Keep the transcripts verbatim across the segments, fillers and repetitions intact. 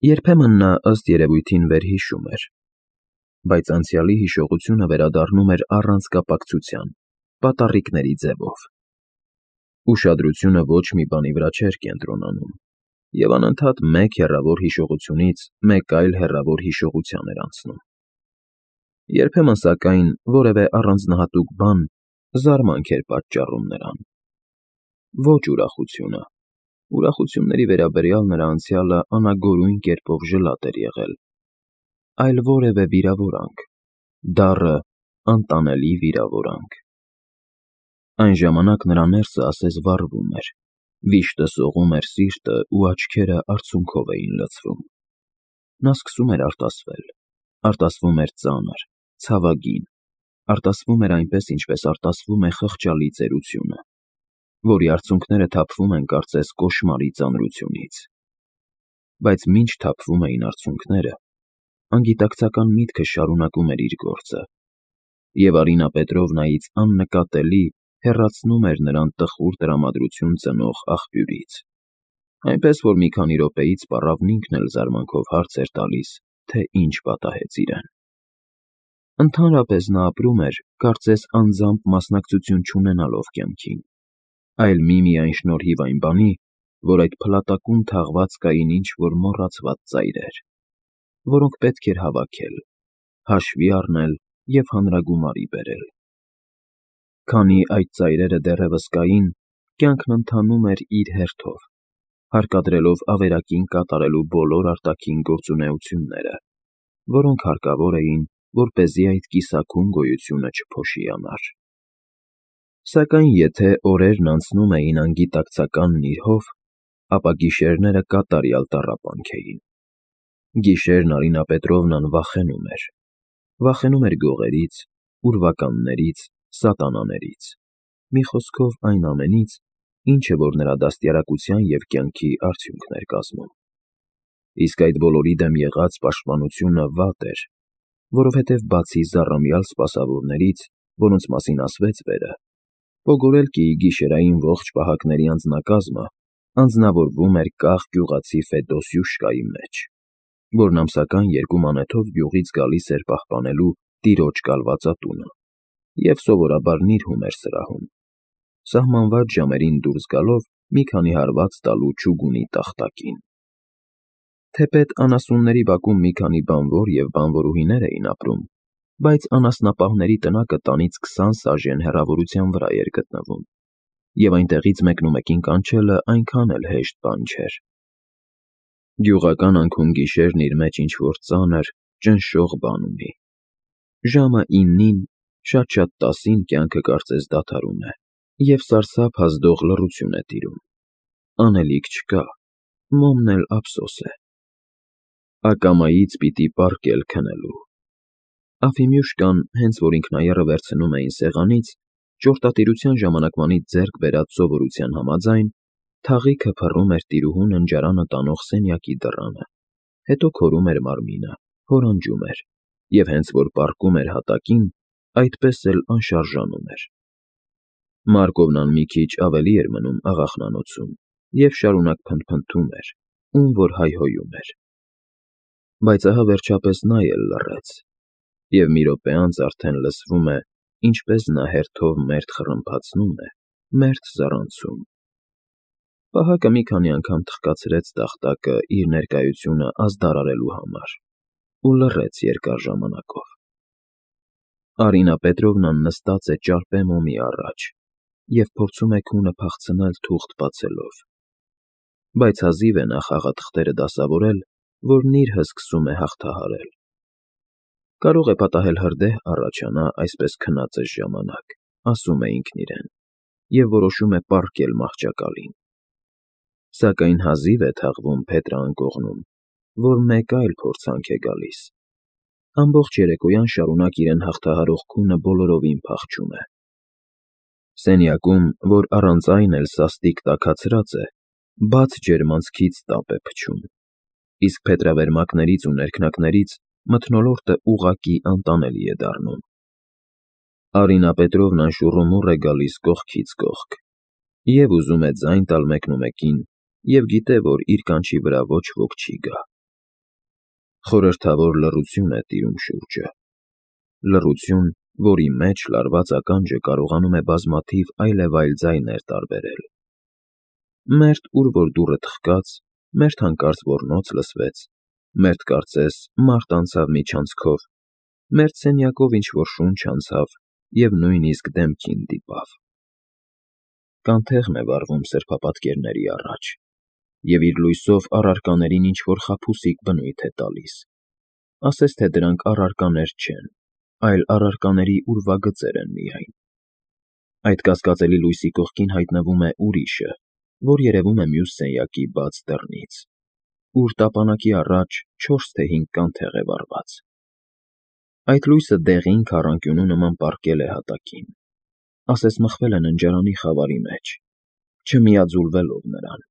Երբեմն նա ըստ երևույթին վերհիշում էր, բայց անցյալի հիշողությունը վերադառնում էր առանց կապակցության, պատառիկների ձևով. ուշադրությունը ոչ մի բանի վրա չէր կենտրոնանում, և անընդհատ մեկ հեռավոր հիշողությունից մեկ այլ հեռավոր հիշողության էր անցնում. երբեմն, սակայն, որևէ առանձնահատուկ բան զարմանք էր պատճառում նրան. ոչ ուրախությունը. ուրախությունների վերաբերյալ նրա անցյալը անագորույն կերպով ժլատ էր եղել, այլ որևէ վիրավորանք, դառը, անտանելի վիրավորանք. Այն ժամանակ նրա ներսը ասես վառվում էր, վիշտը սողում էր սիրտը ու աչքերը արցունքով էին լցվում. նա սկսում էր արտասվել, արտասվում էր ծանր, ցավագին, արտասվում էր այնպես, ինչպես արտասվում է խղճալի ծերությունը, որի արցունքները թափվում են կարծես կոշմարի ծանրությունից. բայց մինչ թափվում էին արցունքները, անգիտակցական միտքը շարունակում էր իր գործը, և Արինա Պետրովնայից աննկատելի հեռացնում էր նրան տխուր տրամադրություն ծնող աղբյուրից, այնպես որ մի քանի րոպեից պառավն ինքն էլ զարմանքով հարց էր տալիս, թե ինչ պատահեց իրեն. Ընդհանրապես նա ապրում էր, կարծես անձամբ մասնակցություն չունենալով կյանքին, այլ միմիայն շնորհիվ այն բանի, որ այդ փլատակում թաղված կային ինչ-որ մոռացված ծայրեր, որոնք պետք էր հավաքել, հաշվի առնել և հանրագումարի բերել: Քանի այդ ծայրերը դեռևս կային, կյանքն ընթանում էր իր հերթով, հարկադրելով ավերակին կատարելու բոլոր արտաքին գործունեությունները, որոնք հարկավոր էին, որպեսզի այդ կիսաքուն գոյությունը չփոշիանար: Սակայն եթե օրերն անցնում էին անգիտակցական նիրհով, ապա գիշերները կատարյալ տառապանք էին: Գիշերն Արինա Պետրովնան վախենում էր, վախենում էր գողերից, ուրվականներից, սատանաներից, մի խոսքով այն ամենից, ինչը որ նրա դաստիարակության և կյանքի արդյունքն էր կազմում: Իսկ այդ բոլորի դեմ եղած պաշտպանությունը վատ էր, որովհետև բացի զառամյալ սպասավորներից, որոնց մասին ասվեց վերը, Պոգորելկիի գիշերային ողջ պահակների անձնակազմը անձնավորվում էր կախ գյուղացի Ֆեդոսյուշկայի մեջ, որն ամսական երկու մանեթով գյուղից գալիս էր պահպանելու տիրոջ կալվածատունը և սովորաբար նիրհում էր սրահում, սահմանված ժամերին դուրս գալով մի քանի հարված տալու չուգունի տախտակին: Թեպետ անասունների բակում մի քանի բանվոր և բանվորուհիներ էին ապրում, բայց անասնապահների տնակը տանից քսան սաժեն հեռավորության վրա էր գտնվում, և այնտեղից մեկնումեկին կանչելը այնքան էլ հեշտ բան չէր: Գյուղական անքուն գիշերն իր մեջ ինչ-որ ծանր, ճնշող բան ունի: Ժամը իննին, շատ-շատ տասին կյանքը կարծես դադարում է, և սարսափ ազդող լռություն է տիրում: Անելիք չկա, մոմն էլ ափսոս է: Ակամայից պիտի պառկել քնելու: Աֆիմյուշկան, հենց որ ինքնաեռը վերցնում էին սեղանից, ճորտատիրության ժամանակվանից ձեռք բերած սովորության համաձայն, թաղիքը փռում էր տիրուհու ննջարանը տանող սենյակի դռանը, հետո քորում էր մարմինը, հորանջում էր և հենց որ պառկում էր հատակին, այդպես էլ անշարժանում էր: Մարկովնան մի քիչ ավելի էր մնում աղախնանոցում և շարունակ փնթփնթում էր, ում որ հայհոյում էր: Բայց ահա վերջապես նա էլ լռեց, և մի րոպե անց արդեն լսվում է, ինչպես նա հերթով մերթ խռմփացնում է, մերթ զառանցում: Պահակը մի քանի անգամ թխկացրեց տախտակը իր ներկայությունը ազդարարելու համար ու լռեց երկար ժամանակով: Արինա Պետրովնան նստած է ճարպե մոմի առաջ և փորձում է քունը փախցնել թուղթ բացելով: Բայց հազիվ է նա խաղաթղթերը դասավորել, որ նիրհը սկսում է հաղթահարել: Կարող է պատահել հրդեհ առաջանա այսպես քնածս ժամանակ, ասում է ինքն իրեն, և որոշում է պառկել մահճակալին: Սակայն հազիվ է թաղվում փետրը անկողնում, որ մեկ այլ փորձանք է գալիս: Ամբողջ երեկոյան շարունակ իրեն հաղթահարող քունը բոլորովին փախչում է: Սենյակում, որ առանց այն էլ սաստիկ տաքացրած է, բաց ջերմանցքից տապ է փչում, իսկ փետրավերմակներից ու ներքնակներից մթնոլորտը ուղղակի անտանելի է դառնում: Արինա Պետրովնան շուռումուռ է գալիս կողքից կողք, և ուզում է ձայն տալ մեկնումեկին և գիտե, որ իր կանչի վրա ոչ ոք չի գա: Խորհրդավոր լռություն է տիրում շուրջը, լռություն, որի մեջ լարված ականջը կարողանում է բազմաթիվ այլևայլ ձայներ տարբերել։ Մերթ ուր որ դուռը թխկաց, մերթ հանկարծ ոռնոց լսվեց, մերթ կարծես մարդ անցավ միջանցքով, մերթ սենյակով ինչ-որ շունչ անցավ և նույնիսկ դեմքին դիպավ։ Կանթեղն է վառվում սրբապատկերների առաջ, և իր լույսով առարկաներին ինչ-որ խաբուսիկ բնույթ է տալիս, ասես թե դրանք առարկաներ չեն, այլ առարկաների ուրվագծեր են միայն։ Այդ կասկածելի լույսի կողքին հայտնվում է ուրիշը, որ երևում է մյուս սենյակի բաց դռնից, ուր տապանակի առաջ չորս թե հինգ կանթեղ է վառված։ Այդ լույսը դեղին քառանկյունու նման պառկել է հատակին, ասես մխվել է ննջարանի խավարի մեջ, չմիաձուլվելով նրան։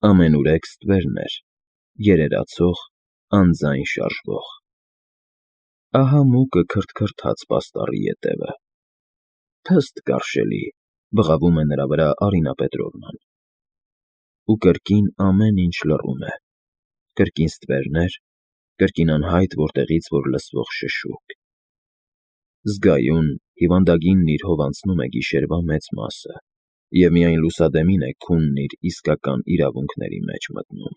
Ամենուրեք ստվերներ, երերացող, անձայն շարժվող։ Ահա մուկը քրթքրթաց պաստառի ետևը։ Թստ կարշելի, բղավում է նրա վրա Արինա Պետրովնան։ Ու կրկին ամեն ինչ լռում է, կրկին ստվերներ, կրկին անհայտ որտեղից որ լսվող շշուկ։ Զգայուն, հիվանդագինն իր հով անցնում է գիշերվա մեծ մասը, և միայն լուսադեմին է քունն իր իսկական իրավունքների մեջ մտնում։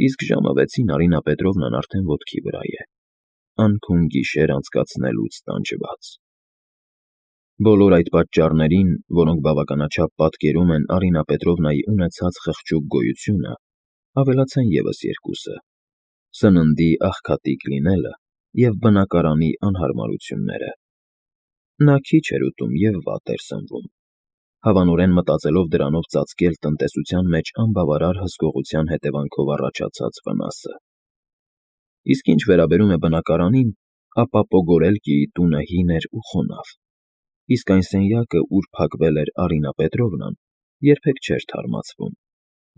Իսկ ժամը վեցին Արինա Պետրովնան արդեն ոտքի վրա է, անքուն գիշեր անցկացնելուց տանջված։ Բոլոր այդ պատճառներին, որոնք բավականաչափ պատկերում են Արինա Պետրովնայի ունեցած խղճուկ գոյությունը, ավելացան ևս երկուսը՝ սննդի աղքատիկ լինելը և բնակարանի անհարմարությունները։ Նա քիչ էր ուտում և վատ էր սնվում, հավանորեն մտածելով դրանով ծածկել տնտեսության մեջ անբավարար հսկողության հետևանքով առաջացած վնասը։ Իսկ ինչ վերաբերում է բնակարանին, ապա Պոգորելկիի տունը հին էր ու խոնավ, իսկ այն սենյակը, ուր փակվել էր Արինա Պետրովնան, երբեք չէր թարմացվում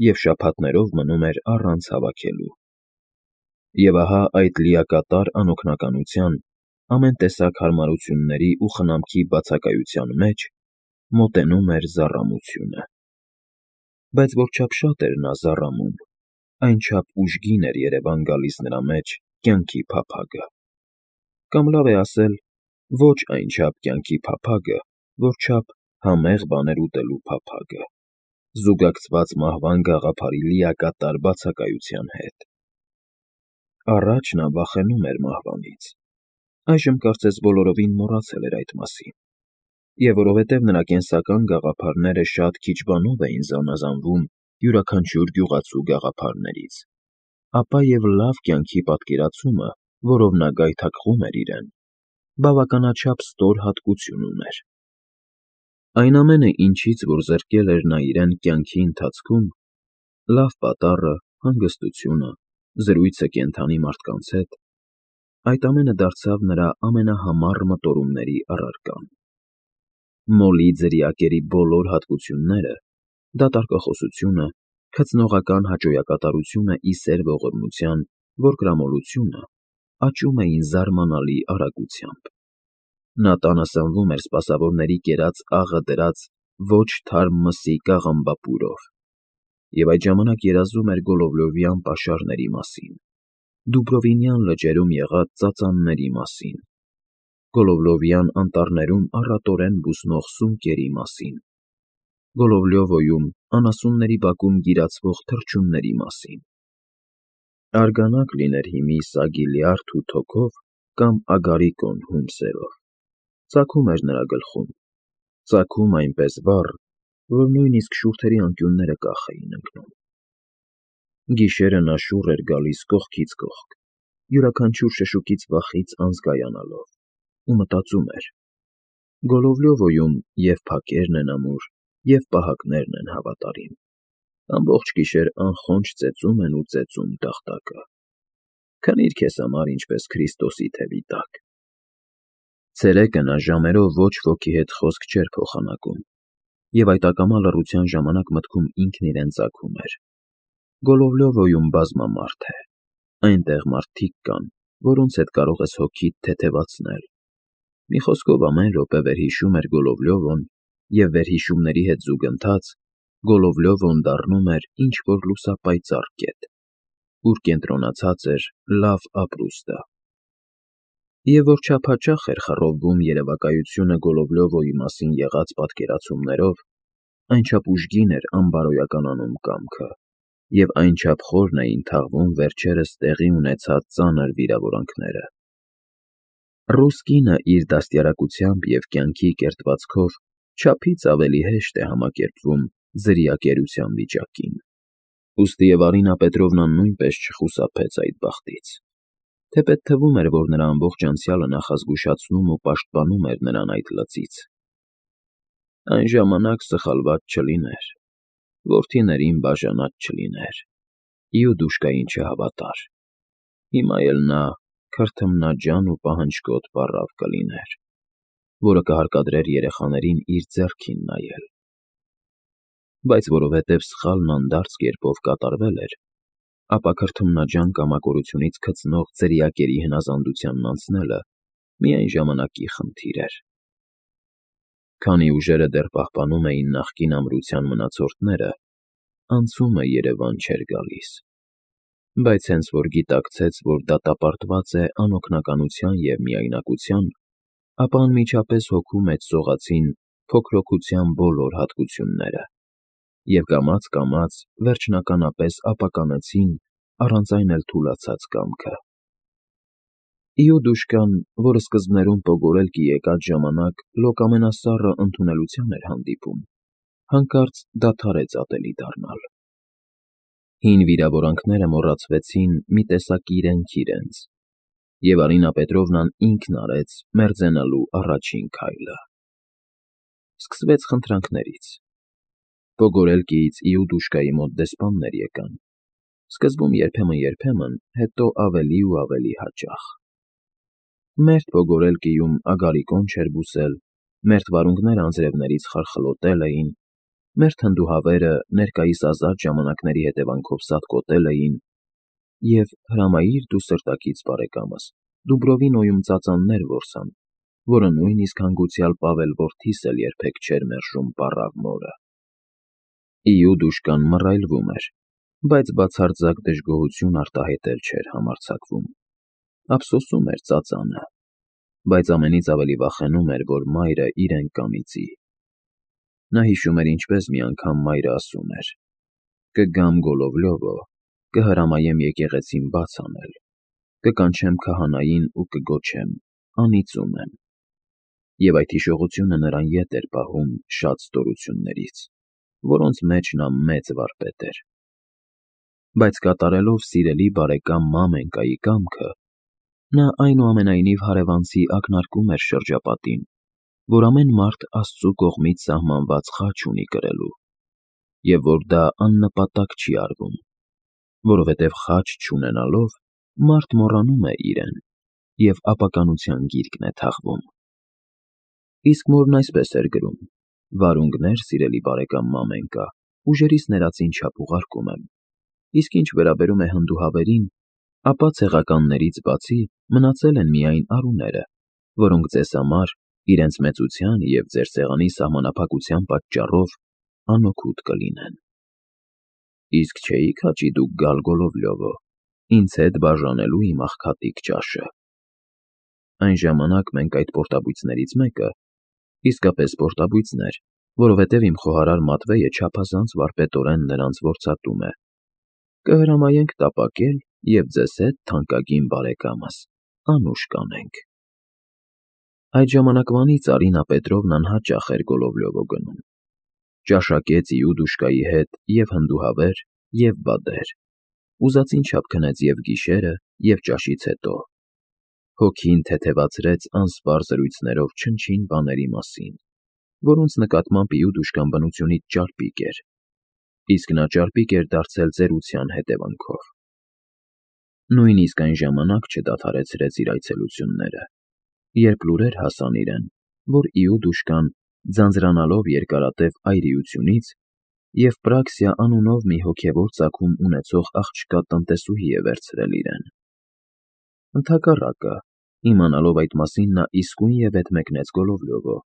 և շաբաթներով մնում էր առանց հավաքելու։ Եվ ահա այդ լիակատար անօգնականության, ամեն տեսակ հարմարությունների ու խնամքի բացակայության մեջ մոտենում էր զառամությունը։ Բայց որչափ շատ էր նա զառամում, այնչափ ուժգին էր երևան գալիս նրա մեջ կյանքի փափագը։ Կամ լավ է ասել, ոչ այնչափ կյանքի փափագը, որչափ համեղ բաներ ուտելու փափագը, զուգակցված մահվան գաղափարի լիակատար բացակայության հետ։ Առաջ նա վախենում էր մահվանից, այժմ կարծես բոլորովին մոռացել էր այդ մասին։ Եվ որովհետև նրա կենսական գաղափարները շատ քիչ բանով էին զանազանվում յուրաքանչյուր գյուղացու գաղափարներից, ապա և լավ կյանքի պատկերացումը, որով նա գայթակղում էր իրեն, բավականաչափ ստոր հատկություն ուներ։ Այն ամենը, ինչից որ զրկել էր նա իրեն կյանքի ընթացքում, լավ պատառը, հանգստությունը, զրույցը կենդանի մարդկանց հետ, այդ ամենը դարձավ նրա ամենահամառ մտորումների առարկան։ Մոլի ձրիակերի բոլոր հատկությունները՝ դատարկախոսությունը, քծնողական հաճոյակատարությունը ի սեր ողորմության, որկրամոլությունը, աճում էին զարմանալի արագությամբ։ Նա տանը սնվում էր սպասավորների կերած աղը դրած ոչ թարմ մսի կաղամբապուրով և այդ ժամանակ երազում էր Գոլովլովյան պաշարների մասին, Դուբրովինյան լճերում եղած ծածանների մասին, Գոլովլովյան անտառներում առատորեն բուսնող սունկերի մասին, Գոլովլյովոյում անասունների բակում գիրացվող թռչունների մասին։ Արգանակ լիներ հիմի սագի լյարդ ու թոքով կամ ագարիկոն հում սերով, ծագում էր նրա գլխում, ծագում այնպես վառ, որ նույնիսկ շուրթերի անկյունները կախ էին ընկնում։ Գիշերը նա շուռ էր գալիս կողքից կողք, յուրաքանչյուր շշուկից վախից անզգայանալով, ու մտածում էր. Գոլովլյովոյում և փակերն են ամուր, և պահակներն են հավատարիմ, ամբողջ գիշեր անխոնջ ծեծում են ու ծեծում տախտակը։ Քնիր քեզ համար ինչպես Քրիստոսի թևի տակ։ Ցերեկը նա ժամերով ոչ ոքի հետ խոսք չէր փոխանակում, և այդ ակամա լռության ժամանակ մտքում ինքն իրեն ծագում էր. Գոլովլյովոյում բազմամարդ է, այնտեղ մարդիկ կան, որոնց հետ կարող ես հոգիդ թեթևացնել։ Մի խոսքով, ամեն րոպե վերհիշում էր Գոլովլյովոն, և վերհիշումների հետ զուգընթաց Գոլովլյովոն դառնում էր ինչ֊որ լուսապայծառ կետ, ուր կենտրոնացած էր լավ ապրուստը։ Եվ որ չափաչախ էր խռովվում երևակայությունը Գոլովլյովոյի մասին եղած պատկերացումներով, այնչափ ուժգին էր անբարոյականանում կամքը, և այնչափ խորն էին թաղվում վերջերս տեղի ունեցած ծանր վիրավորանքները։ Ռուս կինը իր դաստիարակությամբ և կյանքի կերտվածքով չափից ավելի հեշտ է համակերպվում ձրիակերության վիճակին։ Ուստի և Արինա Պետրովնան նույնպես չխուսափեց այդ բախտից, թեպետ թվում էր, որ նրա ամբողջ անցյալը նախազգուշացնում ու պաշտպանում էր նրան այդ լծից։ Այն ժամանակ սխալված չլիներ, որդիներին բաժանած չլիներ, Իուդուշկային չհավատար, հիմա էլ նա քրթմնաջան ու պահնջկոտ պառավ կլիներ, որը կհարկադրեր երեխաներին իր ձեռքին նայել։ Բայց որովհետև սխալն անդարձ կերպով կատարվել էր, ապա քրթմնաջան կամակորությունից քծնող ձրիակերի հնազանդությանն անցնելը միայն ժամանակի խնդիր էր։ Քանի ուժերը դեռ պահպանում էին նախկին ամրության մնացորդները, անցումը երևան չէր գալիս, բայց հենց որ գիտակցեց, որ դատապարտված է անօգնականության և միայնակության, ապա անմիջապես հոգու մեջ սողացին փոքրոքության բոլոր հատկությունները և կամաց֊կամաց վերջնականապես ապականեցին առանց այն էլ թուլացած կամքը։ Իուդուշկան, որը սկզբներում Պոգորելկի եկած ժամանակ Լոկ ամենասառը ընդունելության էր հանդիպում, հանկարծ դադարեց ատելի դառնալ։ Հին վիրավորանքները մոռացվեցին մի տեսակ իրենք իրենց, և Արինա Պետրովնան ինքն արեց մերձենալու առաջին քայլը։ Սկսվեց խնդրանքներից։ Պոգորելկիից Իուդուշկայի մոտ դեսպաններ եկան, սկզբում երբեմն֊երբեմն, հետո ավելի ու ավելի հաճախ։ Մերթ Պոգորելկիում ագարիկոն չէր բուսել, մերթ վարունգները անձրևներից խարխլոտել էին, մերթ հնդուհավերը ներկայիս ազատ ժամանակների հետևանքով սատկոտել էին, և հրամայիր դու սրտակից բարեկամս, Դուբրովինոյում ծածաններ որսան, որը նույնիսկ հանգուցյալ Պավել որդիս էլ երբեք չէր մերժում պառավ մորը։ Իուդուշկան մռայլվում էր, բայց բացարձակ դժգոհություն արտահայտել չէր համարձակվում։ Ափսոսում էր ծածանը, բայց ամենից ավելի վախենում էր, որ մայրը իրեն կանիծի։ Նա հիշում էր ինչպես մի անգամ մայրը ասում էր. «Կգամ Գոլովլյովո, կհրամայեմ եկեղեցին բաց անել, կկանչեմ քահանային ու կգոչեմ. անիծում եմ»։ Եվ այդ հիշողությունը նրան ետ էր պահում շատ ստորություններից, որոնց մեջ նա մեծ վարպետ էր։ Բայց կատարելով սիրելի բարեկամ Մամենկայի կամքը, նա այնուամենայնիվ հարևանցի ակնարկում էր շրջապատին, որ ամեն մարդ Աստծու կողմից սահմանված խաչ ունի կրելու, և որ դա աննպատակ չի արվում, որովհետև խաչ չունենալով մարդ մոռանում է իրեն և ապականության գիրկն է թաղվում։ Իսկ մորն այսպես էր գրում. «Վարունգներ, սիրելի բարեկամ Մամենկա, ուժերիս ներածին չափ ուղարկում եմ, իսկ ինչ վերաբերում է հնդուհավերին, ապա ցեղականներից բացի մնացել են միայն արուները, որոնք ձեզ համար, իրենց մեծության և ձեր սեղանի սահմանափակության պատճառով, անօգուտ կլինեն»։ Իսկ չէի՞ք հաճի դուք գալ Գոլովլյովո, ինձ հետ բաժանելու իմ աղքատիկ ճաշը։ Այն ժամանակ մենք այդ պորտաբույծներից մեկը, իսկապես պորտաբույծն էր, որովհետև իմ խոհարար Մատվեյը չափազանց վարպետորեն նրանց որցատում է, կհրամայենք տապակել և ձեզ հետ, թանկագին բարեկամս, անուշ կանենք։ Այդ ժամանակվանից Արինա Պետրովնան հաճախ էր Գոլովլյովո գնում, ճաշակեց Իուդուշկայի հետ և հնդուհավեր, և բադեր, ուզածին չափ քնեց և գիշերը, և ճաշից հետո։ Հոգին թեթևացրեց անսպառ զրույցներով չնչին բաների մասին, որոնց նկատմամբ Իուդուշկան բնությունից ճարպիկ էր, իսկ նա ճարպիկ էր դարձել ծերության հետևանքով։ Նույնիսկ այն ժամանակ չդադարեցրեց իր այցելությունները, երբ լուրեր հասան իրեն, որ Իուդուշկան, ձանձրանալով երկարատև այրիությունից, և Պրաքսիա անունով մի հոգևոր ծագում ունեցող աղջկա տնտեսուհի է վերցրել իրեն։ Ընդհակառակը, իմանալով այդ մասին, նա իսկույնևեթ մեկնեց Գոլովլյովո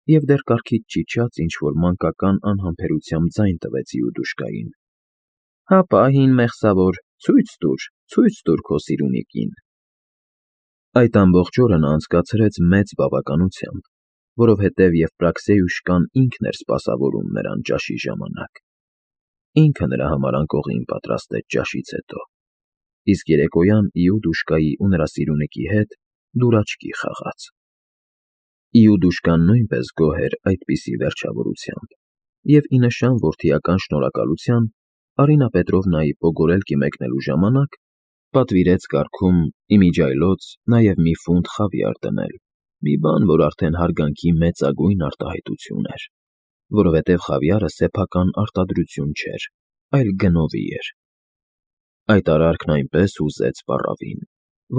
և դեռ կառքից ճիչած ինչ֊որ մանկական անհամբերությամբ ձայն տվեց Իուդուշկային. «Հապա, հին մեղսավոր, Ցույց տուր, ցույց տուր քո սիրունիկին։ Այդ ամբողջ օրը նա անցկացրեց մեծ բավականությամբ, որովհետև Եվպրաքսիոյուշկան ինքն էր սպասավորում նրան ճաշի ժամանակ։ Ինքը նրա համար անկողին պատրաստեց ճաշից հետո, իսկ երեկոյան Իուդուշկայի ու նրա սիրունիկի հետ դուրաչքի խաղաց։ Իուդուշկան նույնպես գոհ էր այդպիսի վերջավորությամբ, և ի նշան որդիական շնորհակալության Արինա Պետրովնայի Պոգորելկի մեկնելու ժամանակ պատվիրեց կարգում ի միջի այլոց նաև մի ֆունտ խավիար դնել, մի բան, որ արդեն հարգանքի մեծագույն արտահայտություն էր, որովհետև խավիարը սեփական արտադրություն չէր, այլ գնովի էր։ Այդ արարքն այնպես հուզեց պառավին,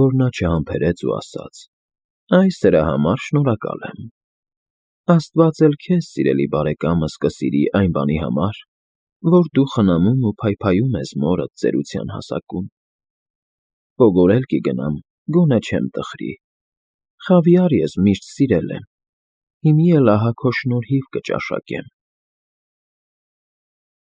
որ նա չհամբերեց ու ասաց. «Այս դրա համար շնորհակալ եմ։ Աստված էլ քեզ, սիրելի բարեկամս, կսիրի այն բանի համար, որ դու խնամում ու փայփայում ես մորդ ծերության հասակում։ Պոգորելկի գնամ, գոնե չեմ տխրի։ Խավիար ես միշտ սիրել եմ, հիմի էլ ահա քո շնորհիվ կճաշակեմ»։